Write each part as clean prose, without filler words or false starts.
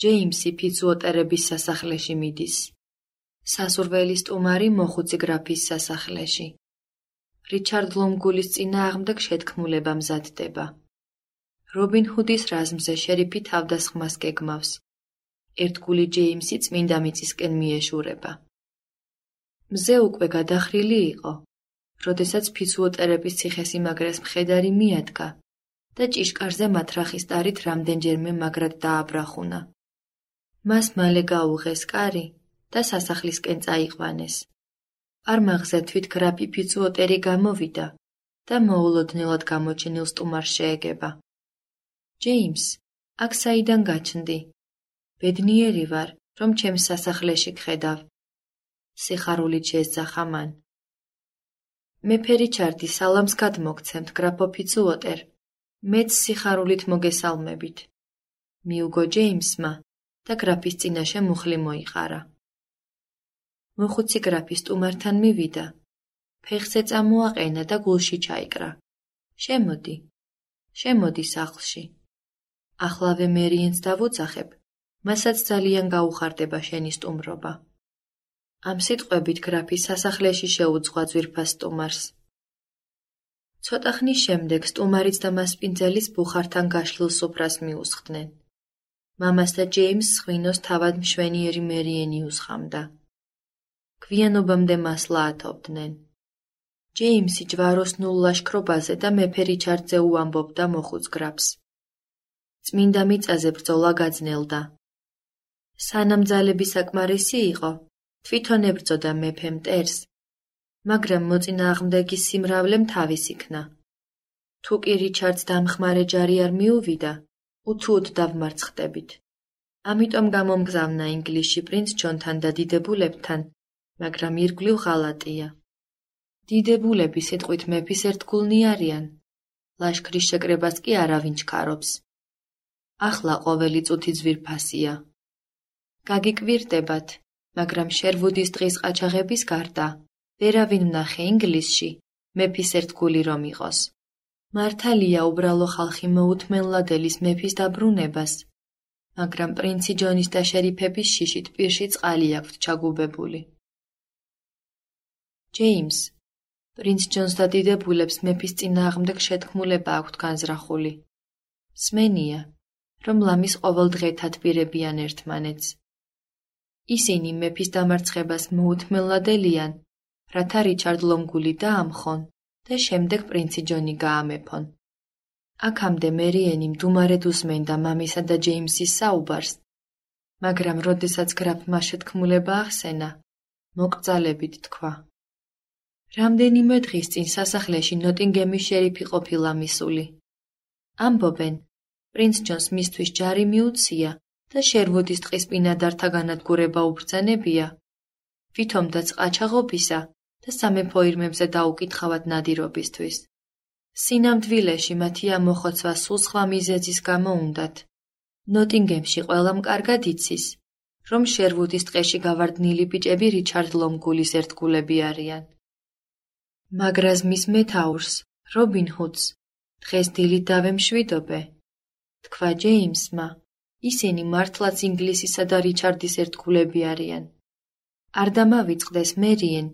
ჯეიმსი ფიცუოტერების სასახლეში მიდის. სასურველი სტუმარი მოხუცი გრაფის სასახლეში. რიჩარდ ლომგულის წინააღმდეგ შეთქმულება მზადდება. რობინ ჰუდის რაზმზე შერიფი თავდასხმას გეგმავს. ერთგული ჯეიმსი წმინდა მიწისკენ მიეშურება. მზე უკვე გადახრილი იყო, როდესაც ფიცუოტერების ციხესიმაგრეს მხედარი მიადგა და ჭიშკარზე მათრახის ტარით რამდენჯერმე მაგრად დააბრახუნა. მას მალე გაუღეს კარი და სასახლისკენ წაიყვანეს. არმაღზე თვით გრაფი ფიცუოტერი გამოვიდა და მოულოდნელად გამოჩენილ სტუმარს შეეგება. ჯეიმს, აქ საიდან გაჩნდი? ბედნიერი ვარ, რომ ჩემს სასახლეში გხედავ. სიხარულით შეესწახა მან. მეფე რიჩარდი სალამს გადმოგცემთ, გრაფო ფიცუოტერ. მეც სიხარულით მოგესალმებით. მიუგო ჯეიმსმა და გრაფის წინაშე მუხლი მოიყარა. მოხუცი გრაფი სტუმართან მივიდა. ფეხზე წამოაყენა და გულში ჩაიკრა. შემოდი სახლში. ახლავე მერიენს დავუძახებ, მასაც ძალიან გაუხარდება შენი სტუმრობა. ამ სიტყვებით გრაფი სასახლეში შეუძღვა ძვირფას სტუმარს. ცოტა ხნის შემდეგ სტუმარიც და მასპინძელის ბუხართან გაშლილ სუფრას მიუსხდნენ. მამას და ჯეიმსს ღვინოს თავად მშვენიერი მერიენი უსხამდა. გვიანობამდე მასლა ათოვდნენ. ჯეიმსი ჯვაროსნულ ლაშქრობაზე და მეფე რიჩარდზე უამბობდა მოხუც გრაფს. წმინდა მიწაზე ბრძოლა გაძნელდა. სანამ ძალები საკმარისი იყო, თვითონ ებრძოდა მეფე მტერს, მაგრამ მოწინააღმდეგის სიმრავლემ თავის იქნა. თუ კი რიჩარდს დამხმარე ჯარი არ მიუვიდა, უთუოდ დავმარცხდებით. ამიტომ გამომგზავნა ინგლისში პრინც ჯონთან და დიდებულებთან, მაგრამ ირგვლივ ღალატია. დიდებულები სიტყვით მეფის ერთგულნი არიან, ლაშქრის შეკრებას კი არავინ ჩქარობს. ახლა ყოველი წუთი ძვირფასია. გაგიკვირდებათ, მაგრამ შერვუდის დღის ყაჩაღების გარდა ვერავინ ვნახე ინგლისში მეფის ერთგული რომ იყოს. მართალია უბრალო ხალხი მოუთმენლადეს მეფის დაბრუნებას, მაგრამ პრინცი ჯონის და შერიფების შიშით პირში წყალი აქვთ ჩაგუბებული. ჯეიმს, პრინც ჯონს და დიდებულებს მეფის წინააღმდეგ შეთქმულება აქვთ განზრახული. სმენია, რომ ლამის ყოველ დღეთად პირებიან ერთმანეთს. ისინი მეფის დამარცხებას მოუთმენლადელიან, რათა რიჩარდ ლომგული დაამხონ და შემდეგ პრინცი ჯონი გაამეფონ. აქამდე მერიენი მდუმარედ უსმენდა მამისა და ჯეიმსის საუბარს, მაგრამ როდესაც გრაფმა შეთქმულება ახსენა, მოკრძალებით თქვა. რამდენიმე დღის წინ სასახლეში ნოტინგემის შერიფი ყოფილა მისული. ამბობენ, პრინც ჯონს მისთვის ჯარი მიუცია და შერვუდის ტყის ბინადართა განადგურება უბრძანებია, ვითომდაც ყაჩაღობისა და სამეფო ირმებზე დაუკითხავად ნადირობისთვის. სინამდვილეში მათი ამოხოცვა სულ სხვა მიზეზის გამო უნდათ. ნოტინგემში ყველამ კარგად იცის, რომ შერვუდის ტყეში გავარდნილი ბიჭები რიჩარდ ლომგულის ერთგულები არიან. მაგრაზმის მეთაურს, რობინ ჰუდს, დღეს დილით დავემშვიდობე, თქვა ჯეიმსმა, ისინი მართლაც ინგლისისა და რიჩარდის ერთგულები არიან. არ დამავიწყდეს მერიენ,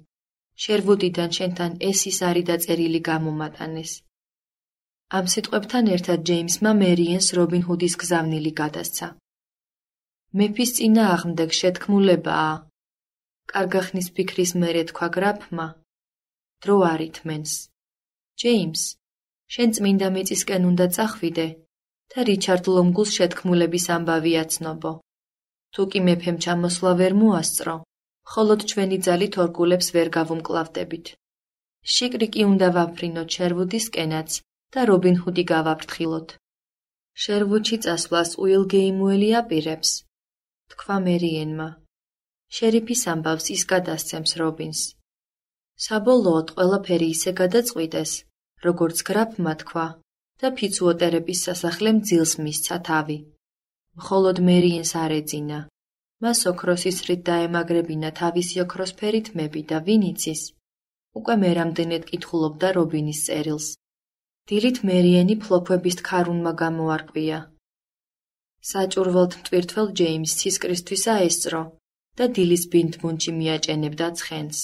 შერვუდიდან შენთან ეს ის არის დაწერილი გამომატანეს. ამ სიტყვებთან ერთად ჯეიმსმა მერიენს რობინ ჰუდის გზავნილი გადასცა. მეფის წინააღმდეგ შეთქმულებაა. კარგახნის ფიქრის მერე თქვა გრაფმა, დრო არ ითმენს. ჯეიმს, შენ წმინდა მიწისკენ უნდა წახვიდე და რიჩარდ ლომგულს შეთქმულების ამბავი აცნობო. თუ კი მეფემ ჩამოსვლა ვერ მოასწრო, მხოლოდ ჩვენი ძალით ორგულებს ვერ გავუმკლავდებით. შიკრი კი უნდა ვაფრინოთ შერვუდისკენაც და რობინ ჰუდი გავაფრთხილოთ. შერვუდში წასვლას უილ გეიმუელი აპირებს, თქვა მერიენმა. შერიფის ამბავს ის გადასცემს რობინს. საბოლოოდ ყველაფერი ისე გადაწყვიტეს, როგორც გრაფმა თქვა და ფიცუოტერების სასახლემ ძილს მისცა თავი. მხოლოდ მერიენს არ ეძინა. მას ოქროსის რით დაემაგრებინა თავისი ოქროსფერი თმები და ვინ იცის, უკვე მე რამდენად კითხულობდა რობინის წერილს. დილით მერიენი ფლოფვების ქარუნმა გამოარკვია. საჭურველთ მტვირთველს ჯეიმს ცისკრისთვისა ესწრო და დილის ბინდმუნჩი მიაჭენებდა ცხენს.